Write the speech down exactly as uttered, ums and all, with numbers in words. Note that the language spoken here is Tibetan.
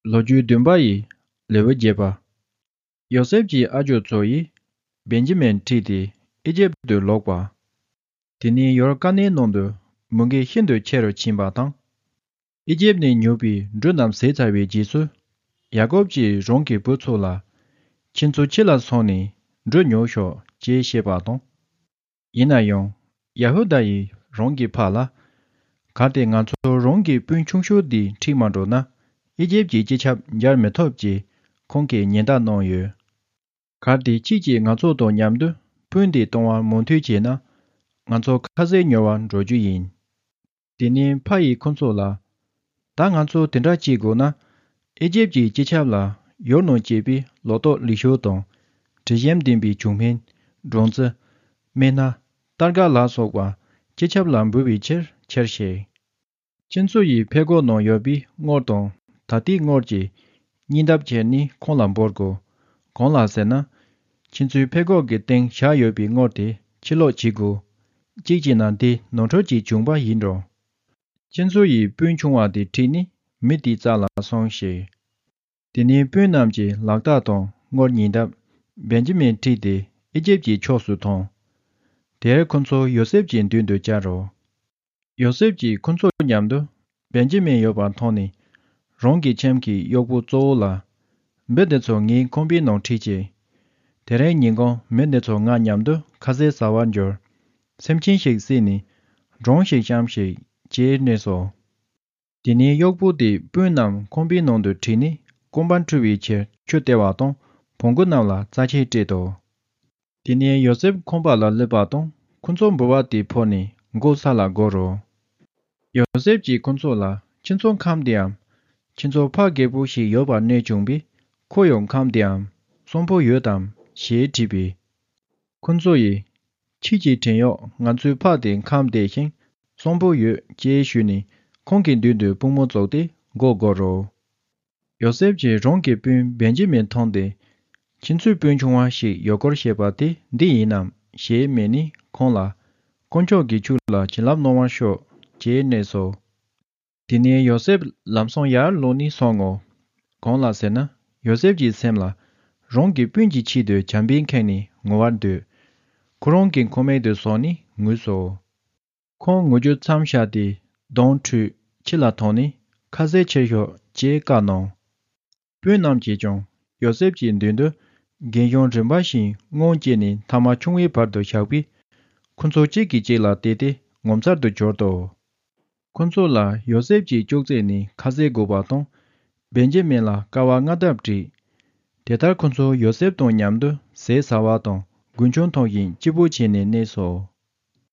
ལོ་རྒྱུས་བདུན་པ་ཡི་ལེའུ་བརྒྱད་པ། ཡོ་སེབ་ཀྱི་ཨ་ཇོ་ཚོ་ཡིས་བེན་ཇི་མིན་ཁྲིད་དེ་ཨི་ཇེབ་ཏུ་ལོག་པ། དེ་ནས་ཡོར་ཀ་ནའི་ནང་དུ་མུ་གེ་ཤིན་ཏུ་ཆེ་རུ་ཕྱིན་པ་དང་། ཨི་ཇེབ་ནས་ཉོས་པའི་འབྲུ་རྣམས་ཟད་ཚར་བའི་རྗེས་སུ། ཡ་ཀོབ་ཀྱིས་རང་གི་བུ་ཚོ་ལ། ཁྱེད་ཚོ་ཕྱི་ལ་སོང་ནས་འབྲུ་ཉོ་ཤོག་ཅེས་བཤད་པ་དང་། ཡིན་ན་ཡང་། ཡ་ཧུ་དཱ་ཡིས་རང་གི་ཕ་ལ། གལ་ཏེ་ང་ཚོ་རང་གི་སྤུན་ཆུང་ཤོས་འདི་ཁྲིད་མ་འགྲོ་ན། ཨི་ཇེབ་ཀྱི་སྤྱི་ཁྱབ་མཇལ་མི་ཐུབ་ཅེས་ཁོང་གིས་ཉེན་བརྡ་གནང་ཡོད། གལ་ཏེ་ཁྱེད་ཀྱིས་ང་ཚོ་དང་མཉམ་དུ་སྤུན་འདི་གཏོང་བར་མོས་མཐུན་བྱས་ན། ང་ཚོ་ཁ་ཟས་ཉོ་བར་འགྲོ་རྒྱུ་ཡིན། དེ་ནས་ཕ་ཡིས་ཁོ་ཚོ་ལ། ད་ང་ཚོ་དེ་འདྲ་བྱེད་དགོས་ན། ཨི་ཇེབ་ཀྱི་སྤྱི་ཁྱབ་ལ་ཡུལ་ནང་སྐྱེས་པའི་ལོ་ཏོག་ལེགས་ཤོས་དང་། དྲི་ཞིམ་ལྡན་པའི་བྱུག་སྨན། སྦྲང་རྩི། སྨན་སྣ། སྟར་ག་ལ་སོགས་པ་སྤྱི་ཁྱབ་ལ་འབུལ་བའི་ཕྱིར་ཁྱེར་ཞིག་ཁྱེད་ཚོ་ཡི་ཕད་གོག་ནང་ཡོད་པའི་དངུལ་དང་ད་ལྟའི་དངུལ་གྱི་སྙིང་སྟོབས་ཁྱེར་ནས་ཁོང་ལ་འབུལ་དགོས། གང་ལ་ཟེར་ན། ཁྱེད་ཚོའི་ཕད་གོག་གི་སྟེང་བཞག་ཡོད་པའི་དངུལ་དེ་ཕྱིར་སློག་བྱེད་དགོས། གཅིག་བྱས་ན་དེ་ནོར་འཁྲུལ་གྱིས་བྱུང་བ་ཡིན་འགྲོ། ཁྱེད་ཚོ་ཡི་སྤུན་ཆུང་བ་དེ་ཁྲིད་ནས་མི་དེའི་རྩ་ལ་སོང་ཞིག་དེ་ནས་སྤུན་རྣམས་ཀྱིས་ལག་རྟགས་དང་དངུལ་ཉིས་ལྡབ་བེན་ཇི་མིན་ཁྲིད་དེ་ཨི་ཇེབ་ཀྱི་ཕྱོགས་སུ་ཐོན། དེར་ཁོ་ཚོ་ཡོ་སེབ་ཀྱི་མདུན་དུ་བཅར་རོ། ཡོ་སེབ་ཀྱིས་ཁོ་ཚོ་མཉམ་དུ་བེན་ཇི་མིན་ཡོད་པར་མཐོང་ནས། རང་གི་ཁྱིམ་གྱི་གཡོག་པོ་གཙོ་བོ་ལ། མི་འདི་ཚོ་ངའི་ཁང་པའི་ནང་ཁྲིད་ཅིག་དེ་རིང་ཉིན་གུང་མི་འདི་ཚོ་ང་མཉམ་དུ་ཁ་ཟས་ཟ་བར་འགྱུར། སེམས་ཅན་ཞིག་བསད་ནས་སྒྲུང་ཞིག་བཤམས་ཤིག་ཅེས་སྨྲས་སོ། དེ་ནས་གཡོག་པོ་དེས་སྤུན་རྣམས་ཁང་པའི་ནང་དུ་ཁྲིད་ནས་སྐོམ་པ་འཁྲུ་བའི་ཕྱིར་ཆུ་སྟེར་བ་དང་བོང་གུ་རྣམས་ལ་རྩྭ་ཆས་སྤྲད་དོ། དེ་ནས་ཡོ་སེབ་ཁང་པ་ལ་སླེབས་པ་དང་ཁོ་ཚོ་འབུལ་བ་དེ་ཕུལ་ནས་མགོ་ས་ལ་སྒུར་རོ། ཡོ་སེབ་ཀྱིས་ཁོ་ཚོ་ལ། ཁྱེད་ཚོ་ཁམས་བདེའམ། ཁྱེད་ཚོ་ཕ་རྒད་པོ་ཞིག་ཡོད་པར་གནས་བྱུང་བས་ཁོ་ཡང་ཁམས་བདེའམ། གསོན་པོ་ཡོད་དམ་ཞེས་དྲིས་པས། ཁོ་ཚོ་ཡིས། ཁྱེད་ཀྱི་བྲན་གཡོག་ང་ཚོའི་ཕ་དེ་ཁམས་བདེ་ཞིང་གསོན་པོ་ཡོད་ཅེས་ཞུས་ནས་ཁོང་གི་མདུན་དུ་པུས་མོ་བཙུགས་ཏེ་མགོ་སྒུར་རོ། ཡོ་སེབ་ཀྱིས་རང་གི་སྤུན་བེན་ཇི་མིན་མཐོང་སྟེ། ཁྱེད་ཚོའི་སྤུན་ཆུང་བ་ཞིག་ཡོད་སྐོར་བཤད་པ་དེ་འདི་ཡིན་ནམ་ཞེས་སྨྲས་ནས་ཁོང་ལ། དཀོན་མཆོག་གིས་ཁྱོད་ལ་བྱིན་རླབས་གནང་བར་ཤོག་ཅེས་སྨྲས་སོ། དེ་ནས་ཡོ་སེབ་ལམ་སང་ཡར་ལོག་ནས་སོང་ངོ་། གང་ལ་ཟེར་ན། ཡོ་སེབ་ཀྱི་སེམས་ལ། རང་གི་སྤུན་གྱི་ཆེད་དུ་བྱམས་པས་ཁེངས་ནས་ངུ་བར་འདོད། ཁོ་རང་གི་ཁང་མིག་ཏུ་སོང་ནས་ངུས་སོ། ཁོང་ངུ་རྒྱུ་མཚམས་བཞག་སྟེ་གདོང་བཀྲུས་ཕྱི་ལ་ཐོན་ནས་ཁ་ཟས་ཁྱེར་ཤོག་ཅེས་བཀའ་གནང་། སྤུན་རྣམས་ཀྱིས་ཀྱང་ཡོ་སེབ་ཀྱི་མདུན་དུ་རྒན་གཞོན་རིམ་པ་བཞིན་སྔོན་སྐྱེས་ནས་ཐ་མ་ཆུང་བའི་བར་དུ་བཞག་པས། ཁོ་ཚོ་གཅིག་གིས་གཅིག་ལ་བལྟས་ཏེ་ངོ་མཚར་དུ་གྱུར་ཏོ། ཁོ་ཚོ་ལ་ཡོ་སེབ་ཀྱིས་ཅོག་ཙེ་ནས་ཁ་ཟས་བགོས་པ་དང་། བེན་ཇི་མིན་ལ་ཀ་བ་ལྔ་ལྡབ་བསྒྲིགས། དེ་ལྟར་ཁོ་ཚོ་ཡོ་སེབ་དང་མཉམ་དུ་ཟས་ཟ་བ་དང་རྒུན་ཆང་འཐུང་བཞིན་སྐྱིད་པོ་བྱས་ནས་གནས་སོ།